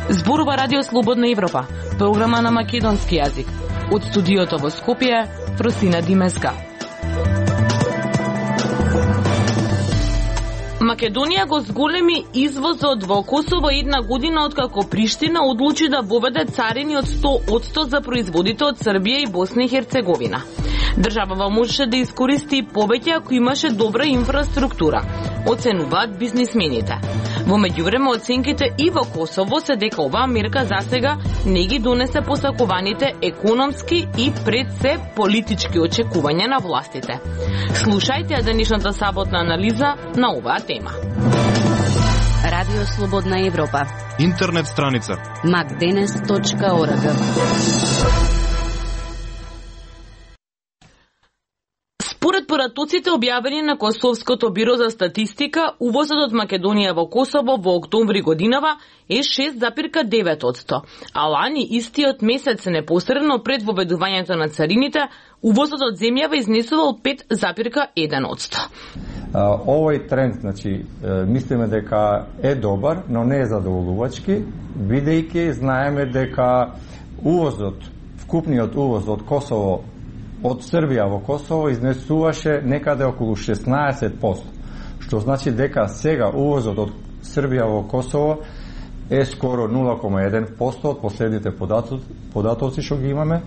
Зборува Радио Слободна Европа, програма на македонски јазик. Од студиото во Скопје, Фросина Димеска. Македонија го зголеми извозот во Косово една година откако Приштина одлучи да воведе царини од 100% за производите од Србија и Босна и Херцеговина. Државава можеше да искористи повеќе ако имаше добра инфраструктура, оценуваат бизнисмените. Во меѓувреме оценките и во Косово се дека оваа мерка засега не ги донесе посакуваните економски и пред се политички очекувања на властите. Слушајте ја денешната саботна анализа на оваа тема. Радио Слободна Европа. Интернет страница macdenes.org. Според поратоците објавени на Косовското биро за статистика, увозот од Македонија во Косово во октомври годинава е 6,9%, а лани истиот месец непосредно пред воведувањето на царините, увозот од земјава изнесувал 5,1%. Овој тренд, значи, мислиме дека е добар, но не е задоволувачки, бидејќи знаеме дека увозот, вкупниот увоз од Косово, од Србија во Косово изнесуваше некаде околу 16%, што значи дека сега увозот од Србија во Косово е скоро 0,1% од последните податоци што ги имаме,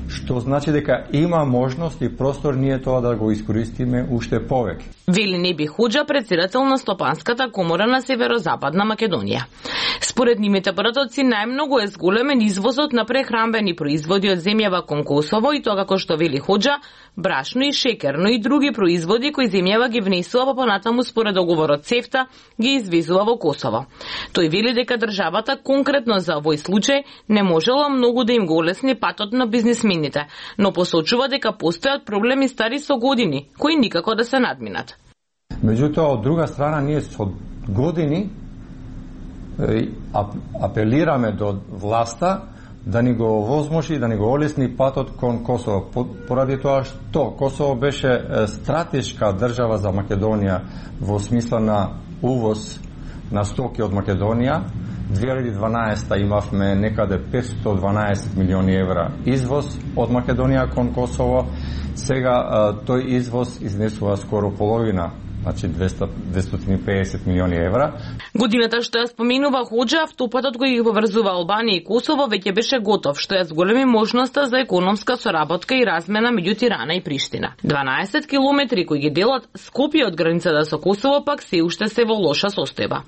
што значи дека има можност и простор ние тоа да го искористиме уште повеќе. Вели Неби Хоџа, председател на Стопанската комора на Северозападна Македонија. Според нивните поратоци најмногу е зголемен извозот на прехранбени производи од земјава кон Косово и тоа како што вели Хоџа, брашно и шекер, но и други производи кои земјава ги внесува, па понатаму според договорот ЦЕФТА ги извезува во Косово. Тој вели дека државата конкретно за овој случај не можела многу да им го олесни патот на бизнисмените, но посочува дека постојат проблеми стари со години, кои никако да се надминат. Меѓутоа, од друга страна, ние со години апелираме до власта да ни го овозможи, да ни го олесни патот кон Косово. Поради тоа што Косово беше стратешка држава за Македонија во смисла на увоз на стоки од Македонија. 2012 имавме некаде 512 милиони евра извоз од Македонија кон Косово. Сега тој извоз изнесува скоро половина, значи 250 милиони евра. Годината што ја споменува Хоџа, автопатот кој ги поврзува Албанија и Косово веќе беше готов, што ја зголеми можноста за економска соработка и размена меѓу Тирана и Приштина. 12 километри кои ги делат Скопје од границата со Косово пак се уште се во лоша состојба.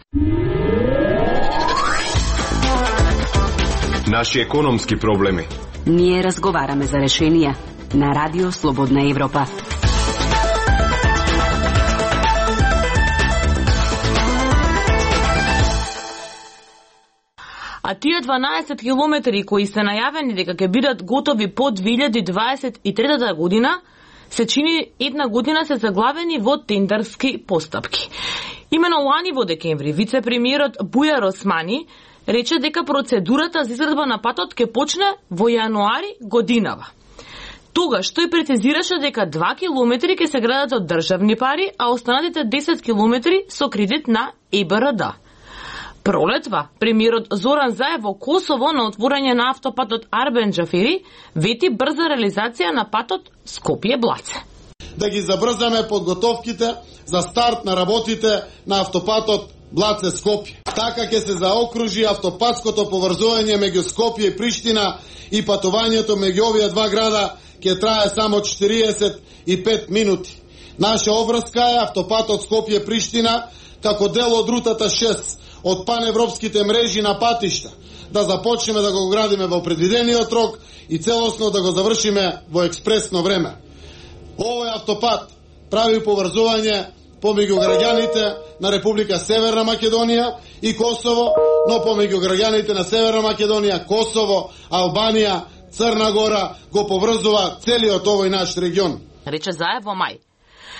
Наши економски проблеми. Ние разговараме за решенија на Радио Слободна Европа. А тие 12 километри кои се најавени дека ќе бидат готови по 2023 година, се чини една година се заглавени во тендерски постапки. Имено лани во декември, вице-премиерот Бујар Османи рече дека процедурата за изградба на патот ќе почне во јануари годинава. Тогаш тој прецизираше дека 2 километри ќе се градат од државни пари, а останатите 10 километри со кредит на ЕБРД. Пролетва, премиерот Зоран Заев во Косово на отворање на автопатот Арбен Џафери вети брза реализација на патот Скопје-Блаце. Да ги забрзаме подготовките за старт на работите на автопатот Блаце-Скопје. Така ќе се заокружи автопатското поврзување меѓу Скопје и Приштина и патувањето меѓу овие два града ќе трае само 45 минути. Наша обврска е автопатот Скопје-Приштина како дел од рутата 6 од паневропските мрежи на патишта, да започнеме да го градиме во предвидениот рок и целосно да го завршиме во експресно време. Овој автопат прави поврзување помеѓу граѓаните на Република Северна Македонија и Косово, но помеѓу граѓаните на Северна Македонија, Косово, Албанија, Црна Гора го поврзува целиот овој наш регион. Рече Заев во мај.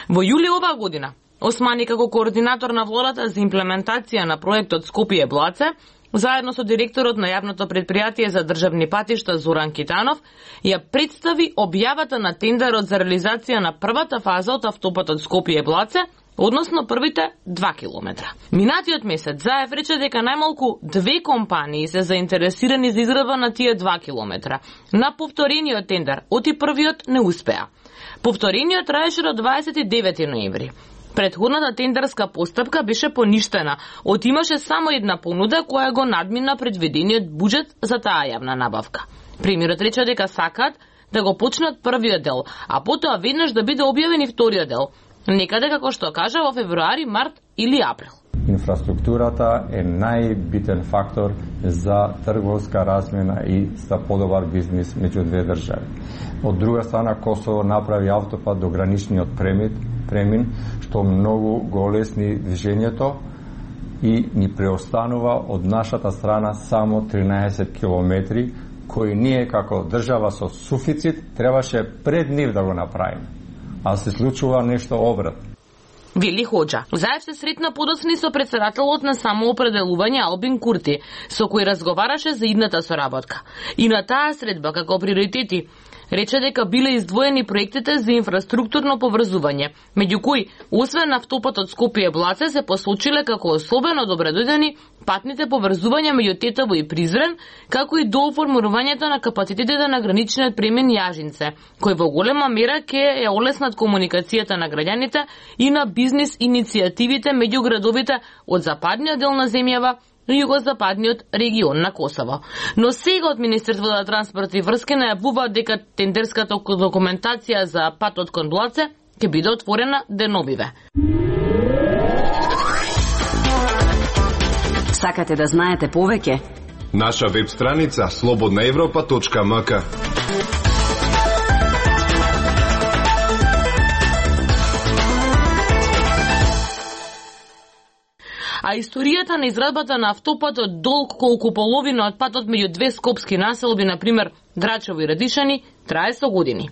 Во јули оваа година Османи како координатор на владата за имплементација на проектот Скопје-Блаце заедно со директорот на јавното предпријатие за државни патишта Зоран Китанов, ја представи објавата на тендерот за реализација на првата фаза од автопатот Скопје-Блаце, односно првите 2 километра. Минатиот месец Заев рече дека најмалку 2 компании се заинтересирани за изградба на тие 2 километра. На повторениот тендер, оти првиот не успеа. Повторениот траеше до 29 ноември. Претходната тендерска постапка беше поништена, имаше само една понуда која го надмина предвидениот буџет за таа јавна набавка. Премиерот рече дека сакаат да го почнат првиот дел, а потоа веднаш да биде објавен и вториот дел. Некаде, како што кажа, во февруари, март или април. Инфраструктурата е најбитен фактор за трговска размена и за подобар бизнис меѓу две држави. Од друга страна, Косово направи автопат до граничниот премин, што многу го олесни движењето и ни преостанува од нашата страна само 13 километри, кои ние како држава со суфицит требаше пред нив да го направиме. А се случува нешто обратно. Вели Хоџа. Заев се сретна подоцни со претседателот на самоопределување Албин Курти, со кој разговараше за идната соработка. И на таа средба, како приоритети, рече дека биле издвоени проектите за инфраструктурно поврзување, меѓу кои, освен автопатот Скопје-Блаце, се посочиле како особено добредојдени патните поврзувања меѓу Тетово и Призрен, како и до оформувањето на капацитетите на граничниот премин Јажинце, кој во голема мера ќе ја олеснат комуникацијата на граѓаните и на бизнис иницијативите меѓу градовите од западниот дел на земјава и југозападниот регион на Косово. Но сега од Министерството за транспорт и врски најавува дека тендерската документација за патот кон Блаце ќе биде отворена деновиве. Сакате да знаете повеќе? Наша веб страница slobodnaevropa.mk. А историјата на изградбата на автопатот долг колку половина од патот меѓу две скопски населби, например Драчево и Радишани, трае со години.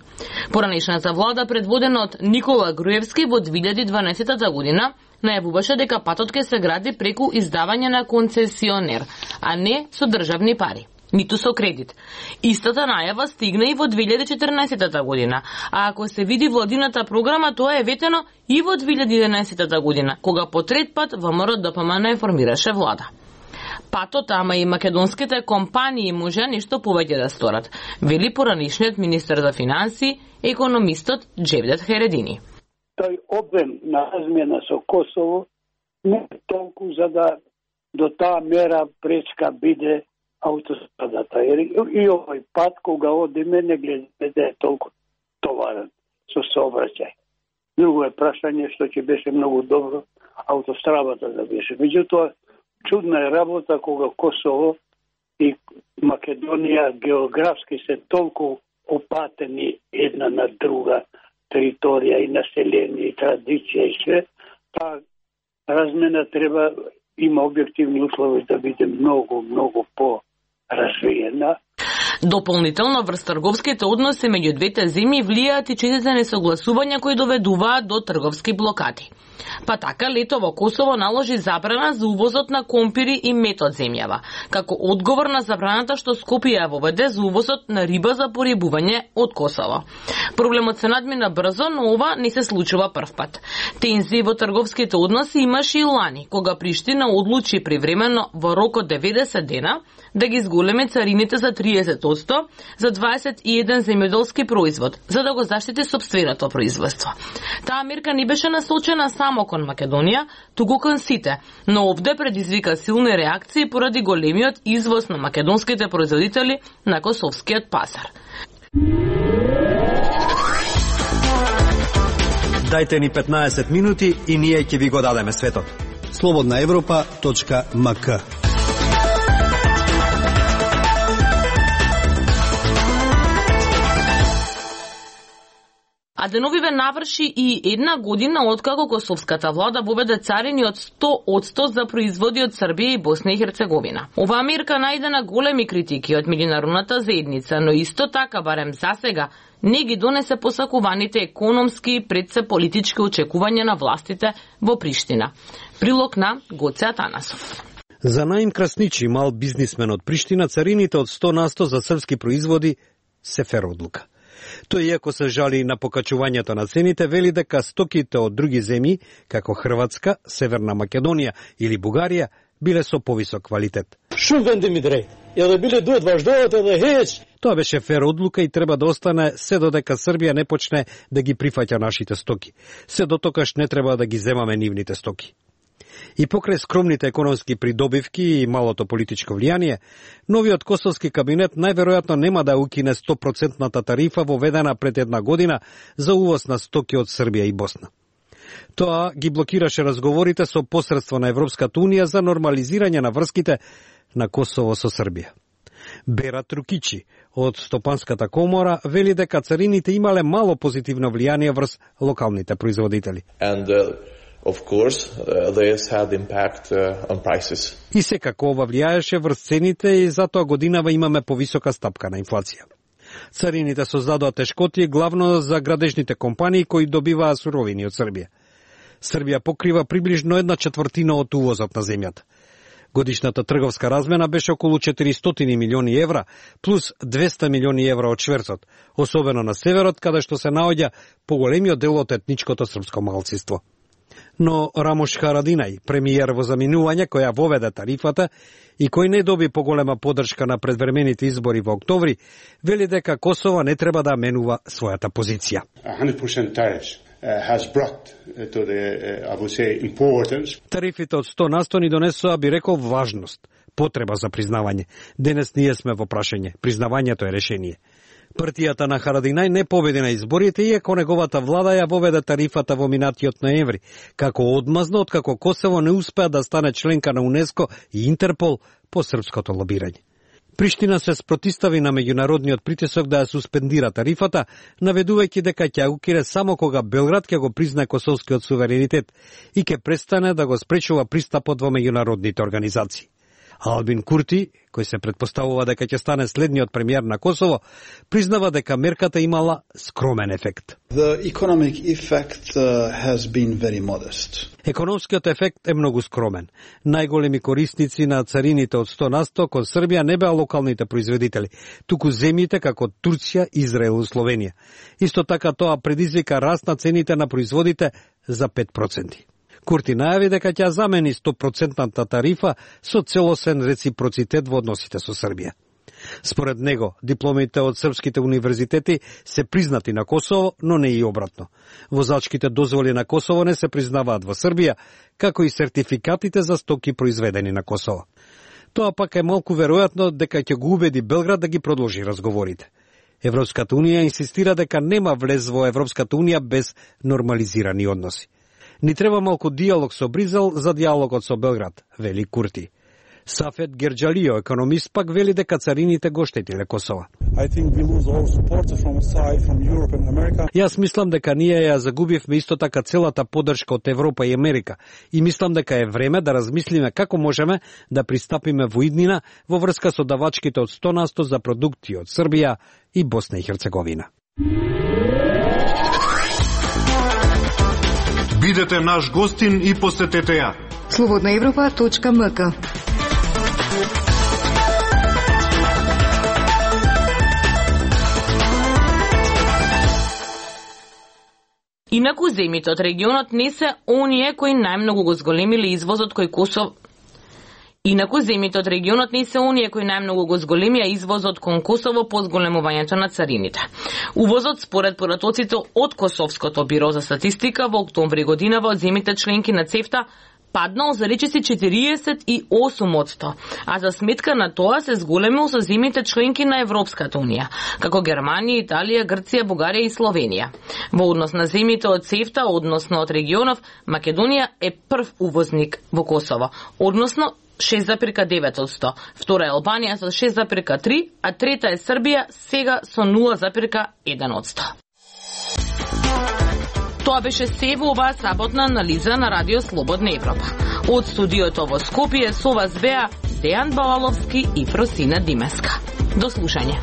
Поранешната влада, предводена од Никола Груевски, во 2012 година најавуваше дека патот ќе се гради преку издавање на концесионер, а не со државни пари, ниту со кредит. Истата најава стигна и во 2014 година, а ако се види владината програма, тоа е ветено и во 2011 година, кога по трет пат ВМРО ДПМН информираше влада. Патот, ама и македонските компании може нешто повеќе да сторат, вели поранишниот министер за финансии, економистот Джевдет Хередини. Тој обем на размена со Косово не е толку за да до таа мера пречка биде автострадата. И овој пат, кога одиме, не гледаме да е толку товарен со сообраќај. Друго е прашање што ќе беше многу добро автострадата да беше. Меѓутоа, чудна е работа кога Косово и Македонија географски се толку опатени една на друга територија и население и традиција и све, таа размена треба има објективни услови да биде многу по-развиена. Дополнително врз трговските односи меѓу двете земји влијаат и честите несогласувања кои доведуваат до трговски блокади. Па така лето во Косово наложи забрана за увозот на компири и мед од земјава, како одговор на забраната што Скопје ја воведе за увозот на риба за порибување од Косово. Проблемот се надмина брзо, но ова не се случува првпат. Тензии во трговските односи имаше и лани, кога Приштина одлучи привремено во рок од 90 дена да ги зголеми царините за 30% за 21 земјоделски производ, за да го заштити сопственото производство. Таа мерка не беше насочена само кон Македонија, туку кон сите, но овде предизвика силни реакции поради големиот извоз на македонските производители на косовскиот пазар. Дајте ни 15 минути и ние ќе ви го дадеме светот. slobodnaevropa.mk. А деновиве наврши и една година откако косовската влада воведе царини од 100% за производи од Србија и Босна и Херцеговина. Оваа мерка најде на големи критики од меѓународната заедница, но исто така, барем засега, не ги донесе посакуваните економски и предсе политички очекувања на властите во Приштина. Прилог на Гоце Атанасов. За Наим Красничи, мал бизнисмен од Приштина, царините од 100% за српски производи се фер одлука. Тој, иако се жали на покачувањето на цените, вели дека стоките од други земји, како Хрватска, Северна Македонија или Бугарија, биле со повисок квалитет. Шум венди ми дрей. Ја биле дует важдовата да хеч. Тоа беше фер одлука и треба да остане се додека Србија не почне да ги прифаќа нашите стоки. Се дотокаш не треба да ги земаме нивните стоки. И покрај скромните економски придобивки и малото политичко влијание, новиот косовски кабинет најверојатно нема да укине 100% тарифа воведена пред една година за увоз на стоки од Србија и Босна. Тоа ги блокираше разговорите со посредство на Европската унија за нормализирање на врските на Косово со Србија. Бера Трукичи од Стопанската комора вели дека царините имале мало позитивно влијание врз локалните производители. Of course, this had impact on prices. И секако ова влијаеше врз цените и затоа годинава имаме повисока стапка на инфлација. Царините создадоа тешкоти главно за градежните компании кои добиваа суровини од Србија. Србија покрива приближно 1/4 од увозот на земјата. Годишната трговска размена беше околу 400 милиони евра, плюс 200 милиони евра од шверцот, особено на северот, каде што се наоѓа поголемиот дел од етничкото српско малцинство. Но Рамош Харадинај, премиер во заминување која воведе тарифата и кој не доби поголема поддршка на предвремените избори во октомври, вели дека Косово не треба да менува својата позиција. 100% tariffs has brought to the, I would say, importance. Тарифите од 100% ни донесоа, би рекол, важност, потреба за признавање. Денес ние сме во прашање, признавањето е решение. Партијата на Харадинај не победи на изборите, иако неговата влада ја воведе тарифата во минатиот ноември, како одмазно откако Косово не успеа да стане членка на УНЕСКО и Интерпол по српското лобирање. Приштина се спротистави на меѓународниот притисок да ја суспендира тарифата, наведувајќи дека ќе укине само кога Белград ќе го признае косовскиот суверенитет и ќе престане да го спречува пристапот во меѓународните организации. Албин Курти, кој се претпоставува дека ќе стане следниот премиер на Косово, признава дека мерката имала скромен ефект. The economic effect has been very modest. Економскиот ефект е многу скромен. Најголеми корисници на царините од 100% кон Србија не беа локалните производители, туку земјите како Турција, Израел и Словенија. Исто така тоа предизвика раст на цените на производите за 5%. Курти најави дека ќе замени 100% тарифа со целосен реципроцитет во односите со Србија. Според него, дипломите од српските универзитети се признати на Косово, но не и обратно. Возачките дозволи на Косово не се признаваат во Србија, како и сертификатите за стоки произведени на Косово. Тоа пак е малку веројатно дека ќе го убеди Белград да ги продолжи разговорите. Европската унија инсистира дека нема влез во Европската унија без нормализирани односи. Ни треба малку диалог со Бризел за диалогот со Белград, вели Курти. Сафет Герджалио, економист, пак вели дека царините го штетиле Косово. Јас мислам дека ние ја загубивме исто така целата поддршка од Европа и Америка и мислам дека е време да размислиме како можеме да пристапиме во иднина во врска со давачките од 100% за продукти од Србија и Босна и Херцеговина. Бидете наш гостин и посетете ја. slobodnaevropa.mk. Инаку земјите од регионот не се оние кои најмногу го зголемиле извозот кој Косово. Инаку земјите од регионот не се оние кои најмногу го зголемија извозот кон Косово по зголемувањето на царините. Увозот според поратоците од Косовското биро за статистика во октомври годинава од земјите членки на ЦЕФТА паднал за речиси 48%, а за сметка на тоа се зголемил со земјите членки на Европската унија, како Германија, Италија, Грција, Бугарија и Словенија. Во однос на земјите од ЦЕФТА, односно од регионов, Македонија е прв увозник во Косово, односно 6,9%. Втора е Албанија со 6,3%, а трета е Србија сега со 0,1%. Тоа беше се во оваа саботна анализа на Радио Слободна Европа. Од студиото во Скопје со вас беа Дејан Балаловски и Фросина Димеска. До слушање.